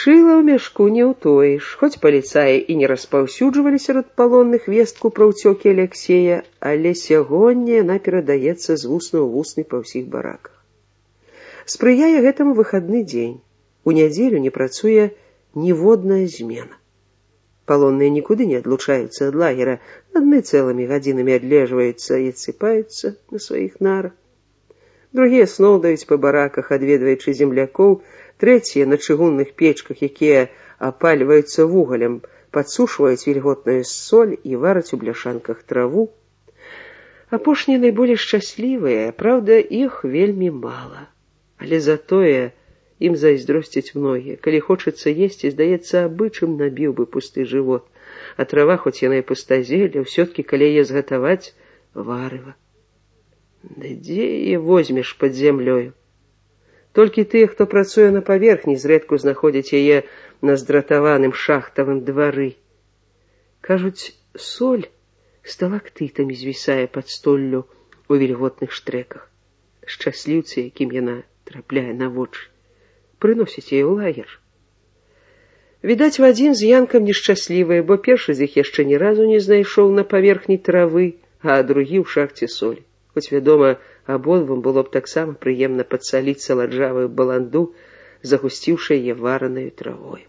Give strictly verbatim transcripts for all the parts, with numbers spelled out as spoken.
Шыла ў мяшку не ўтоіш. Хоць паліцаі і не распаўсюджвалі сярод палонных вестку пра ўцёкі Аляксея, але сягоння яна перадаецца з вусна ў вусны па ўсіх бараках. Спрыяе гэтаму выхадны дзень. У нядзелю не працуе ніводная змена. Палонныя нікуды не адлучаюцца ад лагера, адны цэлымі гадзінамі адлежваюцца і адсыпаюцца на сваіх нарах. Другія сноўдаюць па бараках, адведваючы землякоў, трэція на чыгунных печках, якія апальваюцца вугалем, падсушваюць вільготную соль і вараць у бляшанках траву. Апошнія найболей шчаслівыя, праўда, іх вельмі мала. Але затое ім зайздросцяць многія. Калі хочацца есці, здаецца, абычым набіў бы пусты жывот. А трава, хоць яна і пустазелля, ўсё-ткі, калі яе згатаваць, варыва. Да дзе яе возьмеш пад зямлёю? Толькі тыя, хто працуе на паверхні, зрэдку знаходзяць яе на здратаваным шахтавым двары. Кажуць, соль сталактытамі звісае пад столлю у вільготных штреках. Шчасліўцы, якім яна трапляе на вочы, прыносяць яе ў лагер. Відаць, Вадзім з Янкам нешчаслівыя, бо першы з іх яшчэ ні разу не знайшоў на паверхні травы, а другі ў шахце солі. Хоць, вядома, абодвум было б таксама прыемна падсаліць саладжавую баланду, загусціўшы яе варанаю травою.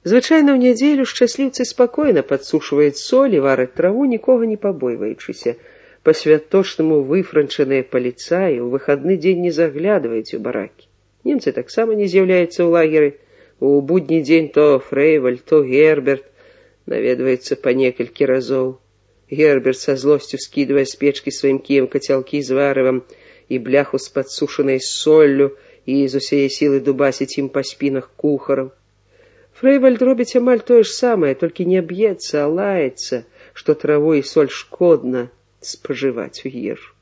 Звычайна ў нядзелю шчасліўцы спакойна падсушваюць соль і вараць траву, нікога не пабойваючыся. Па-святочнаму выфранчаныя паліцаі ў выхадны дзень не заглядваюць у баракі. Немцы таксама не з'яўляюцца ў лагеры. У будні дзень то Фрэйвальд, то Герберт наведваецца па некалькі разоў. Герберт са злосцю скідвае з печкі сваім кіем кацялкі з варывам і бляху з падсушанай соллю і з усяе сілы дубасіць ім па спінах кухараў. Фрэйвальд робіць амаль тое ж самае, толькі не б'ецца, а лаецца, што траву і соль шкодна спажываць у ежу.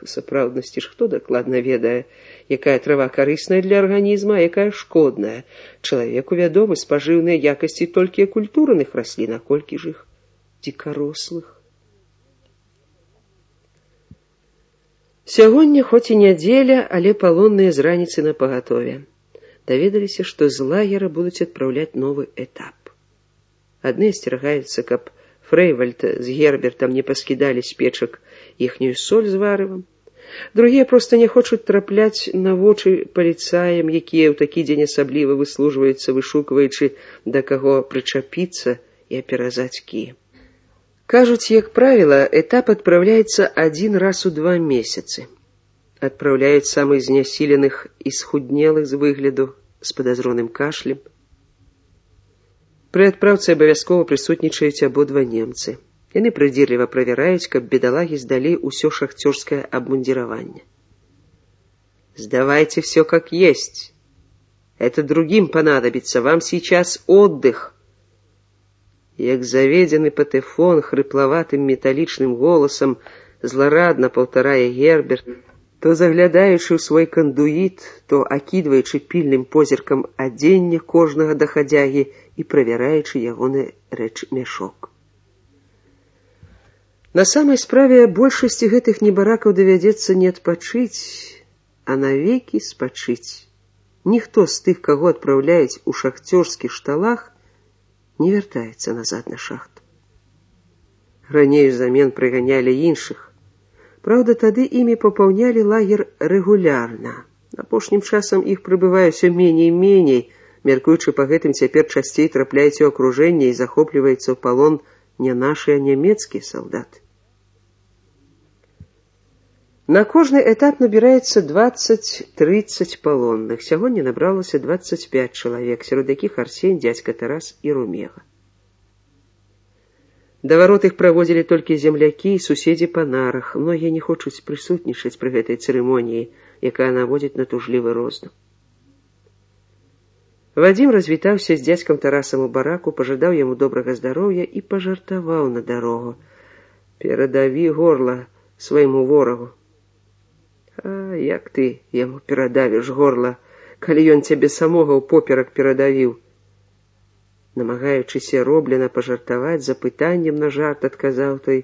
У сапраўднасці ж хто дакладна ведае, якая трава карысная для арганізма, а якая шкодная. Чалавеку вядомы спажыўныя якасці толькі культурных раслін, а колькі ж іх дзікарослых. Сягоння хоць і нядзеля, але палонныя з раніцы на пагатове. Даведаліся, што з лагера будуць адпраўляць новы этап. Адны асцерагаюцца, каб Фрэйвальд з Гербертам не паскідалі з печак іхнюю соль з варывам. Другія проста не хочуць трапляць на вочы паліцаям, якія ў такі дзень асабліва выслужваюцца, вышукваючы, да каго прычапіцца і аперазаць кіем. Кажуць, як правіла, этап адпраўляецца адзін раз у два месяцы. Адпраўляюць самых знясіленых і схуднелых з выгляду, з падазроным кашлем. Пры адпраўцы абавязкова прысутнічаюць абодва немцы. Яны прыдзірліва правяраюць, каб бедалагі здалі ўсё шахцёрскае абмундзіраванне. «Сдавайте все как есть. Это другим понадобится. Вам сейчас отдых». Як заведены патэфон хрыплаватым металічным голасам зларадна паўтарае Герберт, то заглядаючы ў свой кандуіт, то акідваючы пільным позіркам адзення кожнага дахадзягі і правяраючы ягоны рэчмяшок. На самай справе большасці гэтых небаракаў давядзецца не адпачыць, а навекі спачыць. Ніхто з тых, каго адпраўляюць у шахцёрскіх шталах, не вяртаецца назад на шахту. Раней взамен прыганялі іншых. Праўда, тады імі папаўнялі лагер рэгулярна. Апошнім часам іх прыбывае ўсё меней-меней, мяркуючы па гэтым цяпер часцей трапляюць у акружэнне і захопліваецца ў палон не нашы, а нямецкія салдаты. На кожны этап набіраецца дваццаць-трыццаць палонных. Сягоння набралася дваццаць пяць чалавек, сярод якіх Арсень, дзядзька Тарас і Румега. Да варот іх праводзілі толькі землякі і суседзі па нарах. Многія не хочуць прысутнічаць пры гэтай цырымоніі, якая наводзіць на тужлівы роздум. Вадзім развітаўся з дзядзькам Тарасам у бараку, пажадаў яму добрага здароўя і пажартаваў на дарогу. «Перадаві горла свайму ворагу». «А як ты яму перадавіш горла, калі ён цябе самога ў поперак перадавіў?» Намагаючыся роблена пажартаваць, запытаннем на жарт адказаў той,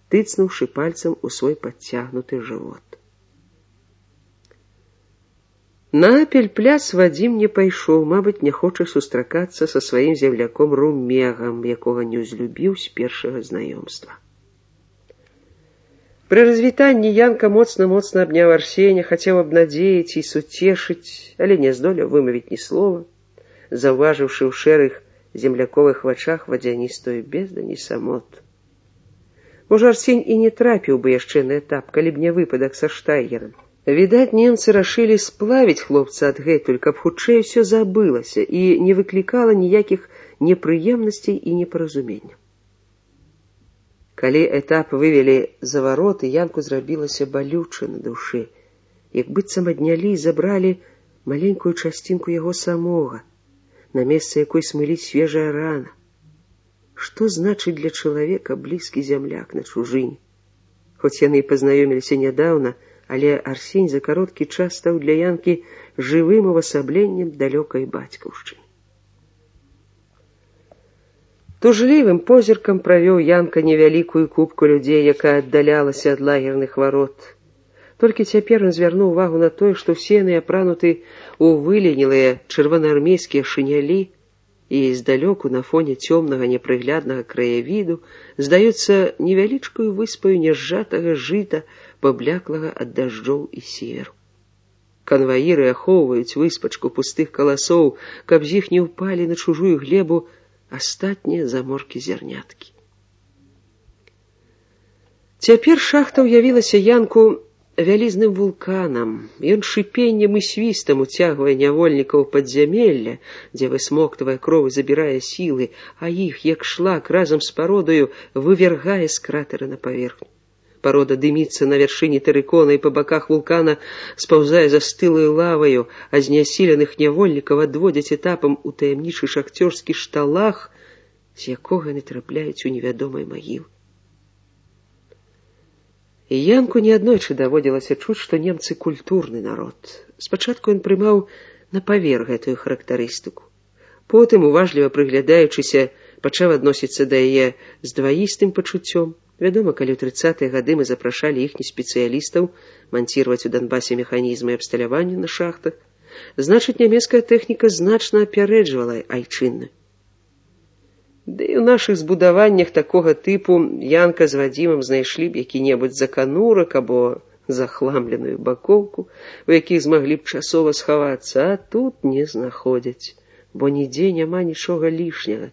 тыцнуўшы пальцам у свой падцягнуты жывот. На пельпляс Вадзім не пайшоў, мабыць, не хоча сустракацца са сваім земляком Румегам, якога не ўзлюбіў з першага знаёмства. Пры развітанні Янка моцна-моцна абняў Арсеня, хацеў абнадзеяць і суцешыць, але не здолеў вымавіць ні слова, заўважыўшы ў шэрых земляковых вачах вадзяністую бездань і самоту. Можа, Арсень і не трапіў бы яшчэ на этап, калі б не выпадак са Штайгерам. Відаць, немцы рашылі сплавіць хлопца адгэтуль, каб хутчэй усё забылася і не выклікала ніякіх непрыемнасцей і непаразуменняў. Калі этап вывелі за вароты, Янку зрабілася балюча на душы, як быццам аднялі і забралі маленькую часцінку яго самога, на месца якой смыліць свежая рана. Што значыць для чалавека блізкі зямляк на чужыне? Хоць яны і пазнаёміліся нядаўна, але Арсень за кароткі час стаў для Янкі жывым увасабленнем далёкай бацькаўшчыны. Тужлівым позіркам правёў Янка невялікую купку людзей, якая аддалялася ад лагерных варот. Толькі цяпер ён звярнуў увагу на тое, што ўсе яны апрануты ў выленілыя чырвонаармейскія шынялі і здалёку на фоне цёмнага непрыгляднага краявіду здаюцца невялічкую выспаю нязжатага жыта, пабляклага ад дажджоў і серу. Канваіры ахоўваюць выспачку пустых каласоў, каб з іх не ўпалі на чужую глебу астатнія заморкі зярняткі. Цяпер шахта ўявілася Янку вялізным вулканам. Ён шыпеннем і свістам уцягвае нявольнікаў падзямелля, дзе высмоктвае кроў і забірае сілы, а іх, як шлак, разам з пародаю вывяргае з кратэра на паверхню. Парода дыміцца на вяршыні тэрыкона і па баках вулкана спаўзае застылаю лаваю, а знясіленых нявольнікаў адводзяць этапам у таямнічы шахцёрскі шталах, з якога яны трапляюць у невядомай магілы. І Янку неаднойчы даводзілася чуць, што немцы культурны народ. Спачатку ён прымаў на павер гэтую характарыстыку. Потым, уважліва прыглядаючыся, пачаў адносіцца да яе з дваістым пачуццём. Вядома, калі ў трыццатыя гады мы запрашалі іхніх спецыялістаў манціраваць у Донбасе механізмы абсталявання на шахтах, значыць, нямецкая тэхніка значна апярэджвала айчынную. Ды і ў нашых збудаваннях такога тыпу Янка з Вадзімам знайшлі б які-небудзь заканурак або захламленую бакоўку, у якіх змаглі б часова схавацца, а тут не знаходзяць, бо нідзе няма нічога лішняга.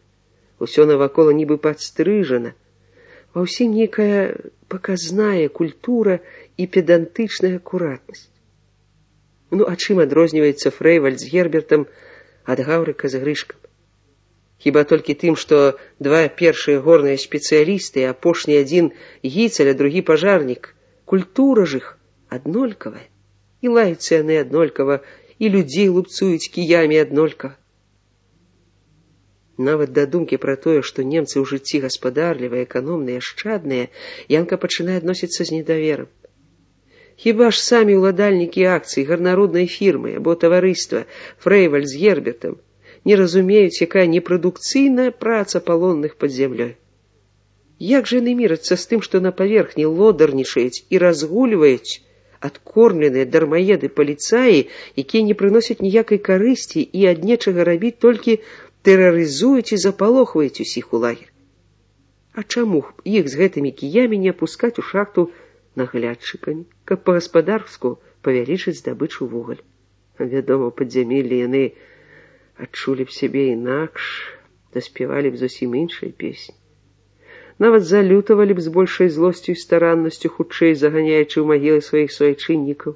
Усё навакола нібы падстрыжана, ва ўсім нейкая паказная культура і педантычная акуратнасць. Ну, а чым адрозніваецца Фрэйвальд з Гербертам ад Гаўрыка з Грышкам? Хіба толькі тым, што два першыя горныя спецыялісты, апошні адзін гіцаль, а другі пажарнік. Культура ж іх аднолькавая. І лаюцца яны аднолькава, і людзей лупцуюць кіямі аднолькава. Нават да думкі пра тое, што немцы ў жыцці гаспадарлівыя, эканомныя, ашчадныя, Янка пачынае адносіцца з недаверам. Хіба ж самі ўладальнікі акцый, гарнароднай фірмы або таварыства Фрэйвальд з Гербертам не разумеюць, якая непрадукцыйная праца палонных пад зямлёй. Як жа яны мірацца з тым, што на паверхні лодарнічаюць і разгульваюць адкормленыя дармаеды паліцаі, якія не прыносяць ніякай карысці і ад нечага рабіць толькі тэрарызуюць і запалохваюць усіх у лагер. А чаму іх з гэтымі кіямі не апускаць у шахту наглядчыкамі, каб па-гаспадарску павялічыць здабычу вугаль? Вядома, у падзямеллі яны адчулі б сябе інакш, заспявалі б зусім іншыя песні. Нават залютавалі б з большай злосцю і стараннасцю, хутчэй заганяючы ў магілы сваіх суайчыннікаў.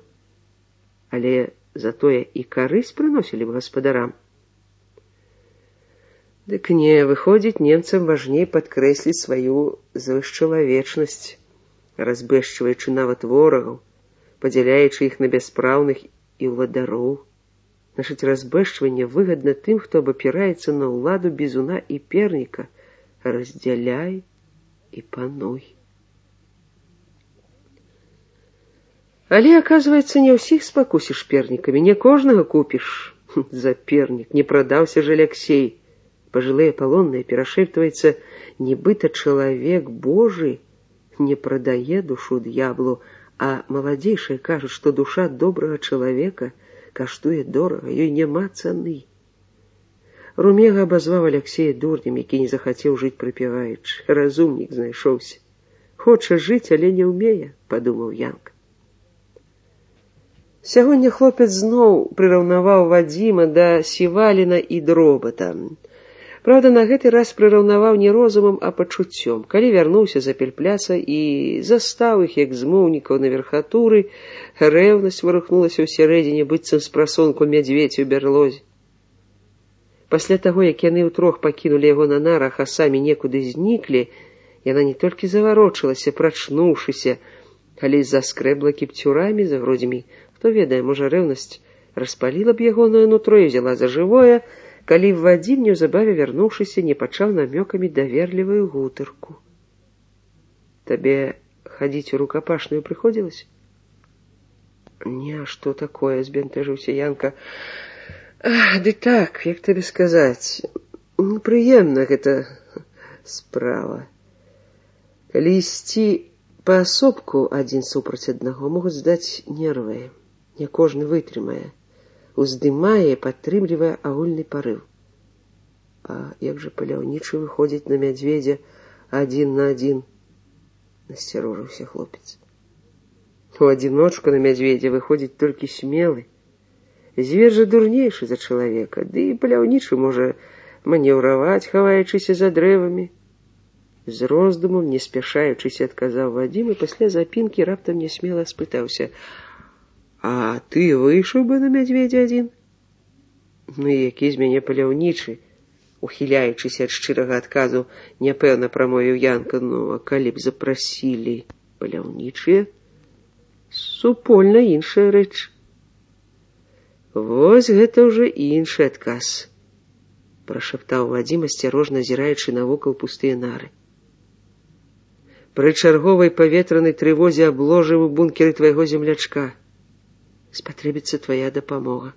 Але затое і карысць прыносілі б гаспадарам. Дык не, выходзіць, немцам важней падкрэсліць сваю звышчалавечнасць, разбэшчваючы нават ворагаў, падзяляючы іх на бяспраўных і ўладароў. Значыць, разбэшчванне выгадна тым, хто абапіраецца на ўладу бізуна і перніка. Раздзяляй і пануй. Але, аказваецца, не ўсіх спакусіш пернікамі, не кожнага купіш. За пернік не прадаўся ж Аляксей. Пажылыя палонныя перашэптваецца, нібыта чалавек Божы не прадае душу д'яблу, а маладзейшыя кажуць, што душа добрага чалавека каштуе дорага, ёй няма цаны. Румега абазваў Аляксея дурнем, які не захацеў жыць прыпяваючы. Разумнік знайшоўся. Хоча жыць, але не ўмее, падумаў Янка. Сягоння хлопец зноў прыраўнаваў Вадзіма да Сіваліна і Дробата. Правда, на гэты раз прыраўнаваў не розумам, а пачуццём. Калі вярнуўся з Апельпляса і застаў іх, як змоўнікаў на верхатуры, рэўнасць вырухнулася ўсярэдзіне, быццам з прасонку мядзведзь у бярлозе. Пасля таго, як яны ўтрох пакінулі яго на нарах, а самі некуды зніклі, яна не толькі заварочылася, прачнуўшыся, але заскрэбла кіпцюрамі за грудзьмі. Хто ведае, можа, рэўнасць распаліла б ягонае нутро і взяла за жывое, калі Вадзім, неўзабаве вярнуўшыся, не пачаў намёкамі даверлівую гутарку. Табе хадзіць у рукапашную прыходзілася? Не, а што такое, збянтэжыўся Янка. Ах, ды так, як табе сказаць, непрыемна гэта справа. Калі ісці паасобку адзін супраць аднаго, могуць здаць нервы. Не кожны вытрымае. Уздымае і падтрымлівае агульны парыў. А як жа паляўнічы выходзіць на мядзведзя адзін на адзін? Насцярожыўся хлопец. У адзіночку на мядзведзя выходзіць толькі смелы. Звер жа дурнейшы за чалавека, ды і паляўнічы можа манеўраваць, хаваючыся за дрэвамі. З роздумам, не спяшаючыся, адказаў Вадзім, і пасля запінкі раптам нясмела спытаўся: а ты выйшаў бы на мядзведзя адзін? Ну і які з мяне паляўнічы? Ухіляючыся ад шчырага адказу, няпэўна прамовіў Янка. Ну, а калі б запрасілі паляўнічыя? Супольна іншая рэч. Вось гэта ўжо іншы адказ, прашаптаў Вадзім, асцярожна азіраючы навокал пустыя нары. Пры чарговай паветранай трывозе абложым у бункеры твайго землячка. Спатрэбіцца твая дапамога.